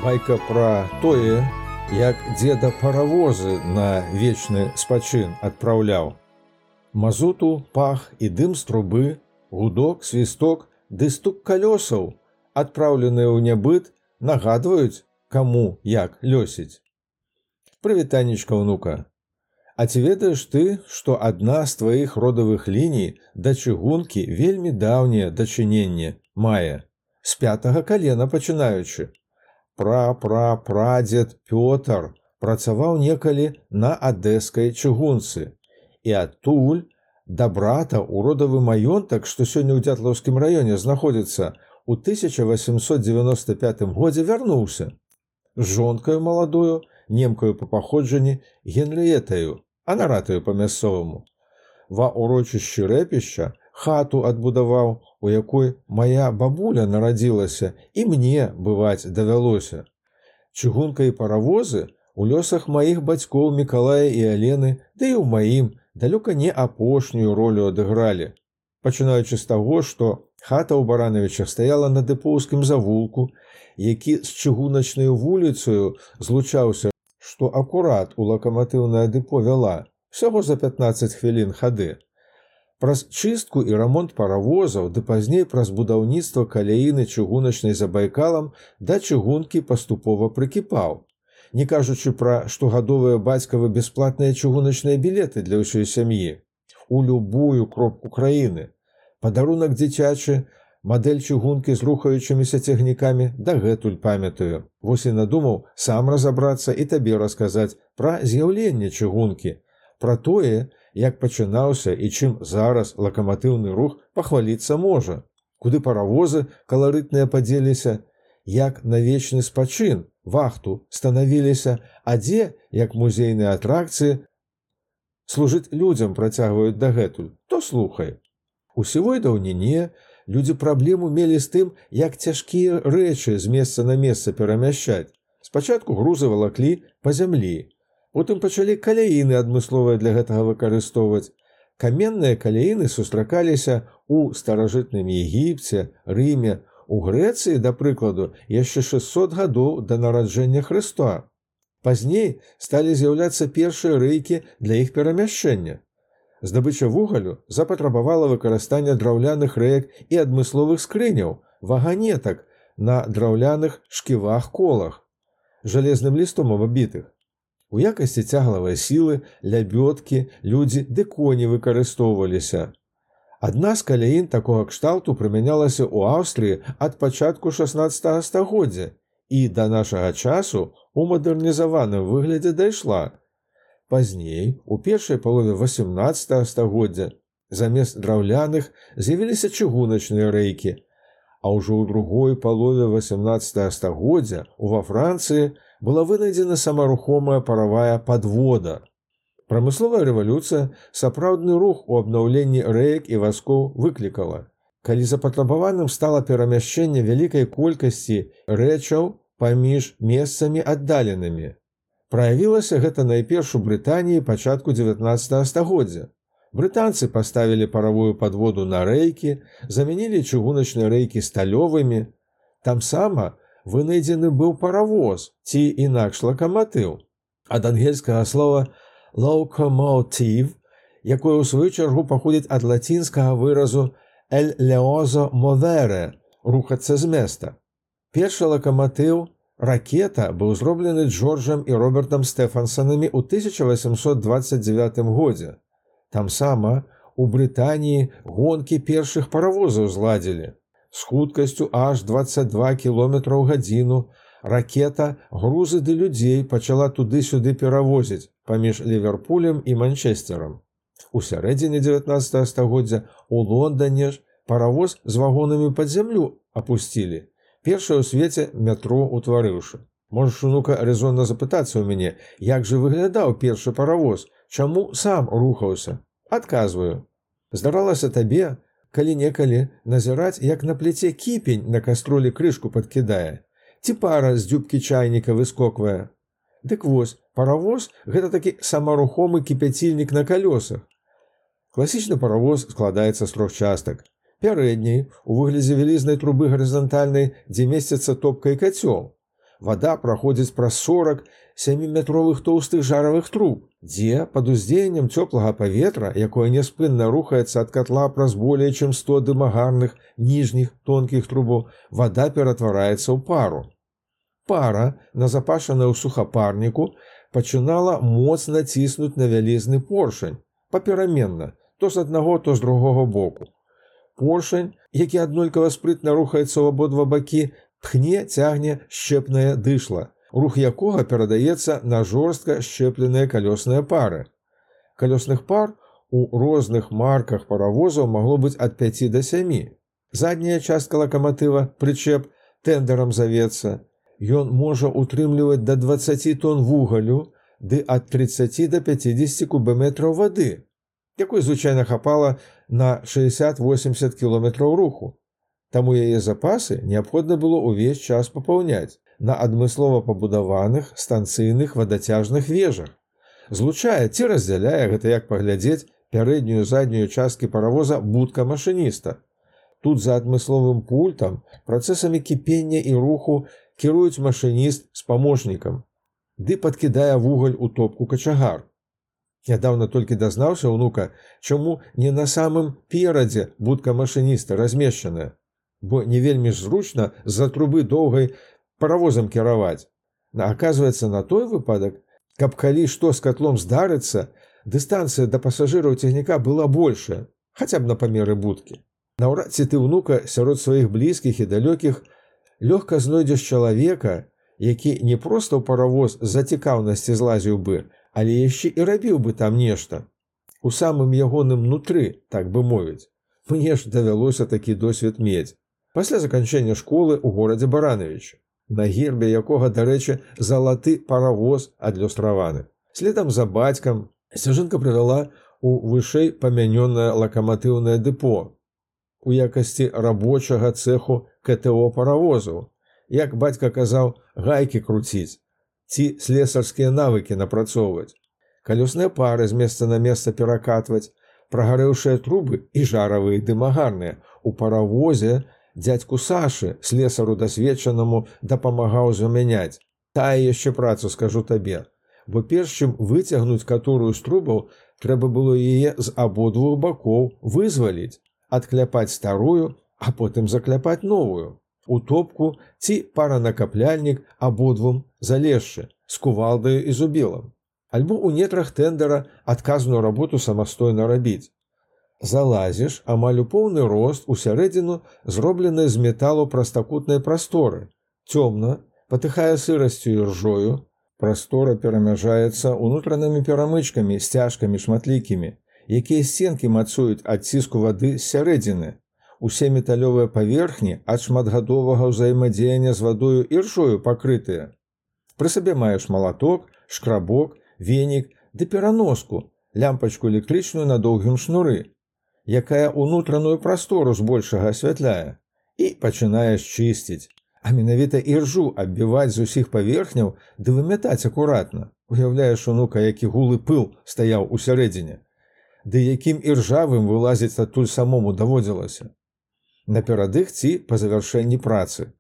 Байка пра тое, як дзеда паравозы на вечны спачын адпраўляў. Мазуту, пах і дым з трубы, гудок, свісток ды стук калёсаў, адпраўленыя ў нябыт, нагадваюць, каму як лёсіць. Прывітанечка, ўнука. А ці ведаеш ты, што адна з тваіх родавых ліній да чыгункі вельмі даўняе дачыненне мае, з 5-га калена пачынаючы? Прадзед Пётр працаваў некалі на адэскай чыгунцы, і адтуль да брата ў родавы маёнтак, што сёння ў Дзятлаўскім раёне знаходзіцца, у 1895 годзе вярнуўся. З жонкаю маладою, немкаю па паходжанні, Генрыетаю, анаратаю па-мясцоваму. Ва ўрочышчы рэпішча хату адбудаваў, у якой мая бабуля нарадзілася, і мне бываць давялося. Чыгунка і паравозы у лёсах маіх бацькоў Мікалая і Алены, ды і ў маім далёка не апошнюю ролю адыгралі. Пачынаючы з таго, што хата ў Баранавічах стаяла на дэпоўскім завулку, які з чыгуначнаю вуліцаю злучаўся, што акурат у лакаматыўнае дэпо вяла, всяго за 15 хвілін хады. Праз чыстку і рамонт паравозаў, ды пазней праз будаўніцтва каляіны чыгуначнай за Байкалам да чыгункі паступова прыкіпаў, не кажучы пра штогадовыя бацькавы бясплатныя чыгуначныя білеты для ўсёй сям'і. У любую кропку краіны. Падарунак дзіцячы, мадэль чыгункі з рухаючымися цягнікамі дагэтуль памятаю. Вось і надумаў сам разабрацца і табе расказаць пра з'яўленне чыгункі, пра тое, як пачынаўся і чым зараз лакаматыўны рух пахваліцца можа, куды паравозы каларытныя падзеліся, як на вечны спачын, вахту станавіліся, а дзе, як музейныя атракцыі, служыць людзям працягваюць дагэтуль, то слухай. У сівой даўніне людзі праблему мелі з тым, як цяжкія рэчы з месца на месца перамяшчаць. Спачатку грузы валаклі па зямлі, потым пачалі каляіны адмысловыя для гэтага выкарыстоўваць. Каменныя каляіны сустракаліся ў старажытным Егіпце, Рыме, у Грэцыі, да прыкладу, яшчэ 600 гадоў да нараджэння Хрыста. Пазней сталі з'яўляцца першыя рэйкі для іх перамяшчэння. Здабыча вугалю запатрабавала выкарыстання драўляных рэек і адмысловых скрыняў, ваганетак на драўляных шківах-колах, жалезным лістом абабітых. У якасці цяглавай сілы, лябёдкі, людзі ды коні выкарыстоўваліся. Адна з каляін такога кшталту прымянялася ў Аўстрыі ад пачатку 16 стагоддзя і да нашага часу у мадэрнізаваным выглядзе дайшла. Пазней, у першай палове 18 стагоддзя, замест драўляных з'явіліся чыгуначныя рэйкі, а ўжо ў другой палове 18 стагоддзя ва Францыі была вынайдзена самарухомая паравая падвода. Прамысловая рэвалюцыя сапраўдны рух у абнаўленні рэек і вазкоў выклікала. Калі запатрабаваным стала перамяшчэнне вялікай колькасці рэчаў паміж месцамі аддаленымі. Праявілася гэта найперш у Брытаніі пачатку 19 стагоддзя. Брытанцы паставілі паравую падводу на рэйкі, замянілі чыгуначныя рэйкі сталёвымі. Тамсама вынайдзены быў паравоз, ці інакш лакаматыў, ад ангельскага слова «locomotive», якое ў сваю чаргу паходзіць ад лацінскага выразу «el leoso movere» – «рухацца з места». Першы лакаматыў «ракета» быў зроблены Джорджам і Робертам Стэфансанамі ў 1829 годзе. Тамсама у Брытаніі гонкі першых паравозаў зладзілі. З хуткасцю аж 22 км ў гадзіну ракета грузы ды людзей пачала туды-сюды перавозіць паміж Ліверпулем і Манчестерам. У сярэдзіне 19 стагоддзя у Лондане ж паравоз з вагонамі пад зямлю апусцілі, першае ў свеце метро утварыўшы. Можаш, унука, рэзонна запытацца ў мяне, як жа выглядаў першы паравоз, чаму сам рухаўся? Адказваю. Здаралася табе калі-некалі назіраць, як на пляце кіпень на кастролі крышку падкідае, ці пара з дзюбкі чайніка выскоквае. Дык вось, паравоз – гэта такі самарухомы кіпяцільнік на калёсах. Класічны паравоз складаецца з 3 частак. Пярэдняй, у выглядзе вялізнай трубы гарызантальнай, дзе месціцца топка і кацёл. Вада праходзіць праз 40 7-метровых тоўстых жаравых труб, дзе пад уздзеяннем цёплага паветра, якое няспынна рухаецца ад катла праз болей чым 100 дымагарных ніжніх тонкіх трубаў, вада ператвараецца ў пару. Пара, назапашаная ў сухапарніку, пачынала моцна ціснуць на вялізны поршень, папераменна, то з аднаго, то з другога боку. Поршень, які аднолькава спрытна рухаецца ў абодва бакі, пхне, цягне шчэпнае дышла, рух якога перадаецца на жорстка шчэпленыя калёсныя пары. Калёсных пар у розных марках паравозаў магло быць ад 5 да 7. Задняя частка лакаматыва, прычэп, тэндерам завецца. Ён можа утрымліваць да 20 тонн вугалю ды ад 30 да 50 кубаметраў вады, якой звычайна хапала на 60-80 кіламетраў руху. Таму яе запасы неабходна было ўвесь час папаўняць на адмыслова пабудаваных станцыйных вадацяжных вежах. Злучае ці раздзяляе, гэта як паглядзець, пярэднюю і заднюю часткі паравоза будка машыніста. Тут за адмысловым пультам працэсамі кіпення і руху кіруюць машыніст з памочнікам, ды падкідае вугаль у топку качагар. Нядаўна толькі дазнаўся ўнука, чаму не на самым перадзе будка машыніста размешчаная, бо не вельмі ж зручна з-за трубы доўгай паравозам кіраваць. Аказваецца, на той выпадак, каб калі што з катлом здарыцца, дыстанцыя да пасажыраў цягніка была большая, хаця б на памеры будкі. Наўрад ці ты, ўнука, сярод сваіх блізкіх і далёкіх лёгка знойдзеш чалавека, які не проста ў паравоз з-за цікаўнасці злазіў бы, але яшчэ і рабіў бы там нешта. У самым ягоным нутры, так бы мовіць. Мне ж давялося такі досвед мець. Пасля заканчэння школы ў горадзе Барановича, на гербе якога, дарэчы, залаты паравоз адлюстраваны. Следам за бацькам сцяжынка прывяла ў вышэй памянёнае лакаматыўнае дэпо у якасці рабочага цэху КТО паравозаў. Як бацька казаў, гайкі круціць ці слесарскія навыкі напрацоўваць, калёсныя пары з месца на месца перакатваць, прагарэўшыя трубы і жаравыя дымагарныя. У паравозе дзядзьку Сашы, слесару дасведчанаму, дапамагаў замяняць. Тая яшчэ працу, скажу табе, бо перш чым выцягнуць каторую з трубаў, трэба было яе з абодвух бакоў вызваліць, адкляпаць старую, а потым закляпаць новую. У топку ці паранакапляльнік абодвум залезшы, з кувалдаю і зубілам. Альбо ў нетрах тэндера адказную работу самастойна рабіць. Залазіш амаль у поўны рост у сярэдзіну зробленай з металу прастакутнай прасторы. Цёмна, патыхае сырасцю і ржою. Прастора перамяжаецца унутранымі перамычкамі, сцяжкамі шматлікімі, якія сценкі мацуюць ад ціску вады з сярэдзіны. Усе металёвыя паверхні ад шматгадовага ўзаемадзеяння з вадою і ржою пакрытыя. Пры сабе маеш малаток, шкрабок, венік ды пераноску, лямпачку электрычную на доўгім шнуры, якая унутраную прастору збольшага асвятляе, і пачынаеш чысціць. А менавіта іржу аббіваць з усіх паверхняў ды вымятаць акуратна. Уяўляеш, унука, які гулы пыл стаяў у сярэдзіне, ды якім іржавым вылазіць адтуль самому даводзілася. Наперадых ці па завяршэнні працы.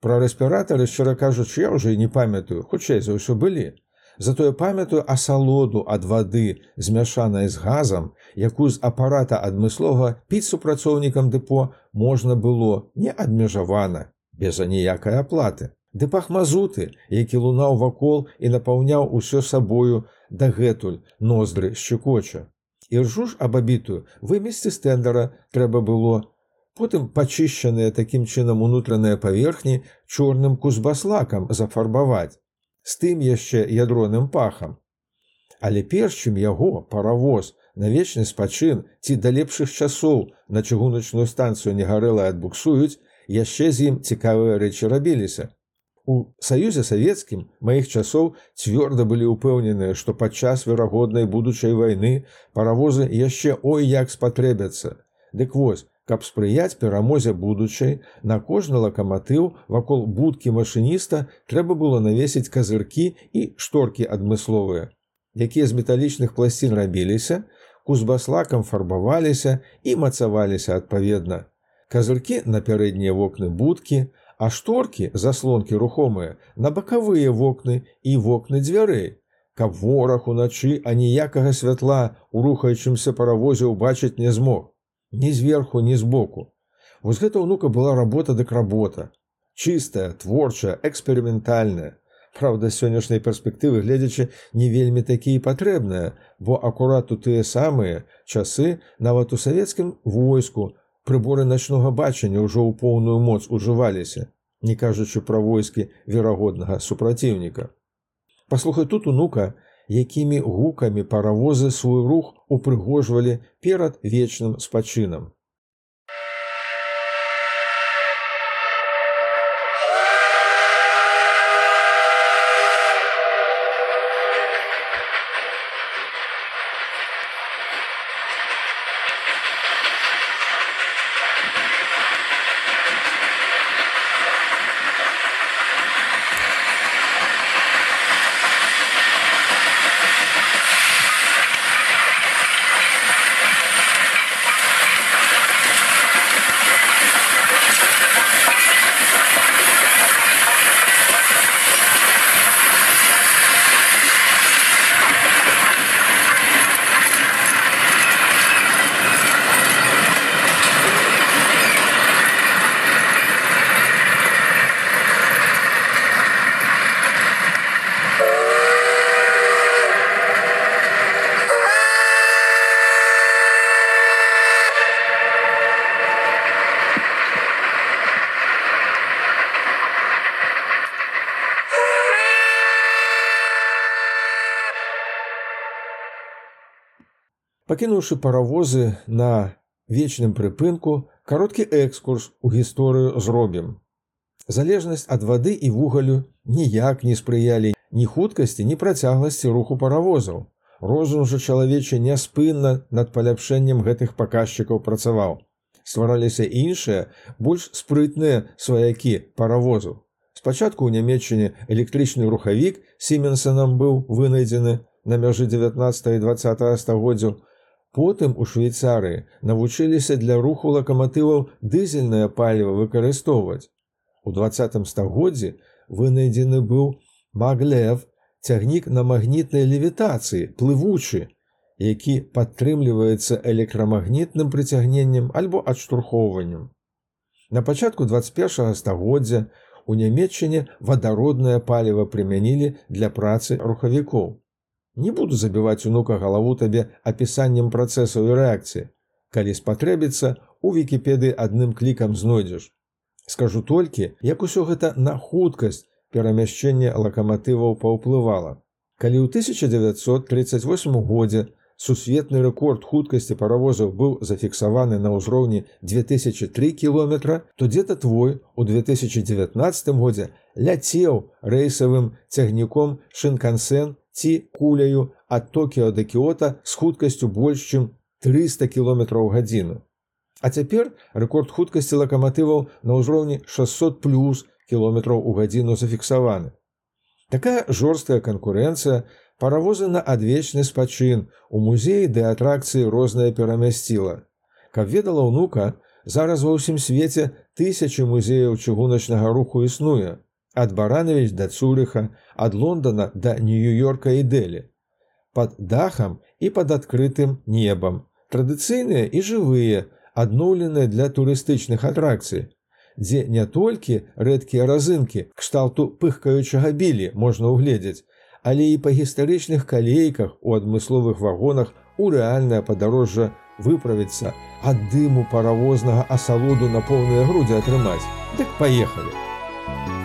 Пра рэспіратары, шчыра кажучы, я ўжо і не памятаю, хутчэй за ўсё былі. Затое памятаю асалоду ад вады, змяшанай з газам, якую з апарата адмыслова піць супрацоўнікам дэпо можна было неадмежавана, без аніякай аплаты. Ды пах мазуты, які лунаў вакол і напаўняў усё сабою дагэтуль, ноздры шчыкоча. Іржу ж абабітую вымесці з тэндера трэба было. Потым пачышчаныя такім чынам унутраныя паверхні чорным кузбаслакам зафарбаваць, з тым яшчэ ядроным пахам. Але перш чым яго, паравоз, на вечны спачын ці да лепшых часоў на чыгуначную станцыю негарэлай адбуксуюць, яшчэ з ім цікавыя рэчы рабіліся. У Саюзе Савецкім маіх часоў цвёрда былі ўпэўненыя, што падчас верагоднай будучай вайны паравозы яшчэ ой як спатрэбяцца. Дык вось, каб спрыяць перамозе будучай, на кожны лакаматыў вакол будкі машыніста трэба было навесіць казыркі і шторкі адмысловыя, якія з металічных пласцін рабіліся, кузбаслакам фарбаваліся і мацаваліся адпаведна. Казыркі на пярэднія вокны будкі, а шторкі, заслонкі рухомыя, на бакавыя вокны і вокны дзвярэй, каб вораг уначы аніякага святла ў рухаючымся паравозе ўбачыць не змог. Ні зверху, ні збоку. Вось гэта ўнука была работа дык работа. Чыстая, творчая, эксперыментальная. Праўда, з сённяшняй перспектывы гледзячы не вельмі такі і патрэбная, бо акурат у тыя самыя часы нават у савецкім войску прыборы начнога бачання ўжо ў поўную моц ужываліся, не кажучы пра войскі верагоднага супраціўніка. Паслухай тут, унука, якімі гукамі паравозы свой рух упрыгожвалі перад вечным спачынам. Пакінуўшы паравозы на вечным прыпынку, кароткі экскурс у гісторыю зробім. Залежнасць ад вады і вугалю ніяк не спрыялі ні хуткасці, ні працягласці руху паравозаў. Розум жа чалавечы няспынна над паляпшэннем гэтых паказчыкаў працаваў. Ствараліся іншыя, больш спрытныя сваякі паравозаў. Спачатку ў Нямецчыне электрычны рухавік Сіменсенам быў вынайдзены на мяжы 19 і 20 стагоддзяў. Потым у Швейцарыі навучыліся для руху лакаматываў дызельнае паліва выкарыстоўваць. У 20 стагоддзі вынайдзены быў маглев, цягнік на магнітнай левітацыі, плывучы, які падтрымліваецца электрамагнітным прыцягненнем альбо адштурхоўваннем. На пачатку 21 стагоддзя у Нямецчыне вадароднае паліва прымянілі для працы рухавікоў. Не буду забіваць, унука, галаву табе апісаннем працэсаў і рэакцыі. Калі спатрэбіцца, у Вікіпедыі адным клікам знойдзеш. Скажу толькі, як усё гэта на хуткасць перамяшчэння лакаматываў паўплывала. Калі ў 1938 годзе сусветны рэкорд хуткасці паравозаў быў зафіксаваны на ўзроўні 2003 км, то дзе-то твой у 2019 годзе ляцеў рэйсавым цягніком Шинкансен ці куляю ад Токіо да Кіота з хуткасцю больш чым 300 км ў гадзіну. А цяпер рэкорд хуткасці лакаматываў на ўзроўні 600+ км ў гадзіну зафіксаваны. Такая жорсткая канкурэнцыя паравозы на адвечны спачын у музеі ды атракцыі рознае перамясціла. Каб ведала, унука, зараз ва ўсім свеце тысячы музеяў чыгуначнага руху існуе. Ад Барановіч да Цурыха, ад Лондона да Нью-Йорка і Дэлі. Пад дахам і пад адкрытым небам. Традыцыйныя і жывыя, адноўленыя для турыстычных атракцый, дзе не толькі рэдкія разынкі кшталту пыхкаючага білі можна ўгледзець, але і па гістарычных калейках у адмысловых вагонах у рэальнае падарожжа выправіцца, ад дыму паравознага асалоду на поўныя грудзі атрымаць. Дык паехалі!